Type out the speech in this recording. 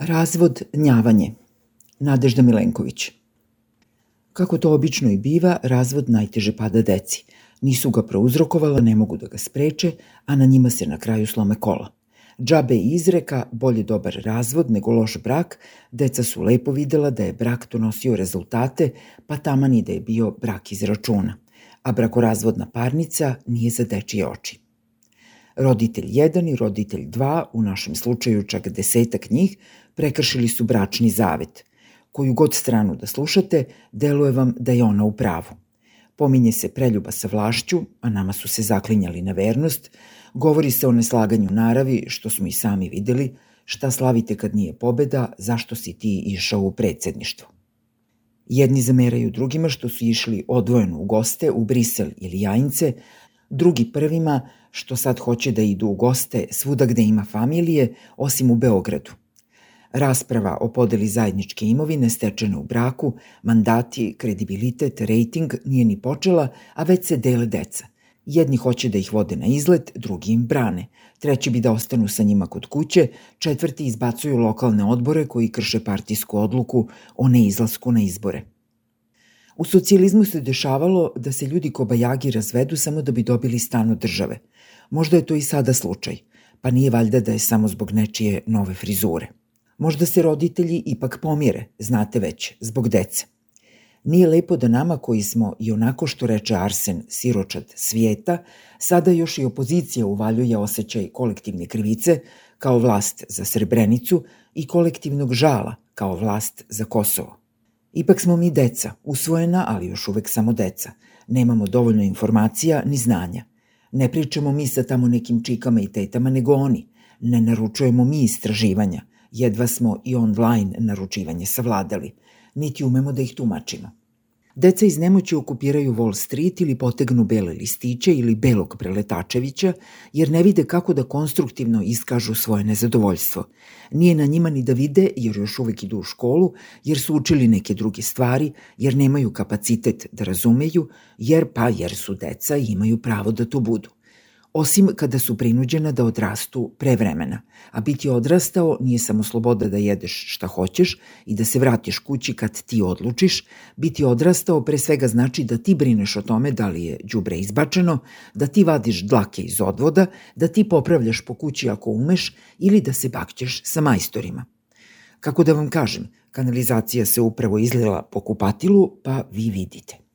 Razvod, gnjavanje. Nadežda Milenković. Kako to obično i biva, razvod najteže pada deci. Nisu ga prouzrokovala, ne mogu da ga spreče, a na njima se na kraju slome kola. Džabe i izreka, bolje dobar razvod nego loš brak, deca su lepo videla da je brak donosio rezultate, pa taman i da je bio brak iz računa. A brakorazvodna parnica nije za dečije oči. Roditelj 1 i roditelj 2, u našem slučaju čak 10 njih, prekršili su bračni zavet. Koju god stranu da slušate, deluje vam da je ona u pravu. Pominje se preljuba sa vlašću, a nama su se zaklinjali na vernost, govori se o neslaganju naravi, što smo i sami videli, šta slavite kad nije pobeda, zašto si ti išao u predsjedništvo. Jedni zameraju drugima što su išli odvojeno u goste u Brisel ili Jajince, drugi prvima što sad hoće da idu u goste svuda gde ima familije, osim u Beogradu. Rasprava o podeli zajedničke imovine stečene u braku, mandati, kredibilitet, rejting nije ni počela, a već se dele deca. Jedni hoće da ih vode na izlet, drugi im brane. Treći bi da ostanu sa njima kod kuće, četvrti izbacuju lokalne odbore koji krše partijsku odluku o neizlasku na izbore. U socijalizmu se dešavalo da se ljudi kobajagi razvedu samo da bi dobili stan od države. Možda je to i sada slučaj, pa nije valjda da je samo zbog nečije nove frizure. Možda se roditelji ipak pomire, znate već, zbog dece. Nije lepo da nama koji smo i onako što reče Arsen siročad svijeta, sada još i opozicija uvaljuje osjećaj kolektivne krivice kao vlast za Srebrenicu i kolektivnog žala kao vlast za Kosovo. Ipak smo mi deca, usvojena, ali još uvek samo deca. Nemamo dovoljno informacija ni znanja. Ne pričamo mi sa tamo nekim čikama i tetama, nego oni. Ne naručujemo mi istraživanja. Jedva smo i online naručivanje savladali. Niti umemo da ih tumačimo. Deca iz nemoći okupiraju Wall Street ili potegnu bele listiće ili belog Preletačevića, jer ne vide kako da konstruktivno iskažu svoje nezadovoljstvo. Nije na njima ni da vide, jer još uvek idu u školu, jer su učili neke druge stvari, jer nemaju kapacitet da razumeju, jer su deca i imaju pravo da to budu. Osim kada su prinuđena da odrastu pre vremena. A biti odrastao nije samo sloboda da jedeš šta hoćeš i da se vratiš kući kad ti odlučiš. Biti odrastao pre svega znači da ti brineš o tome da li je đubre izbačeno, da ti vadiš dlake iz odvoda, da ti popravljaš po kući ako umeš ili da se bakćeš sa majstorima. Kako da vam kažem, kanalizacija se upravo izlila po kupatilu, pa vi vidite.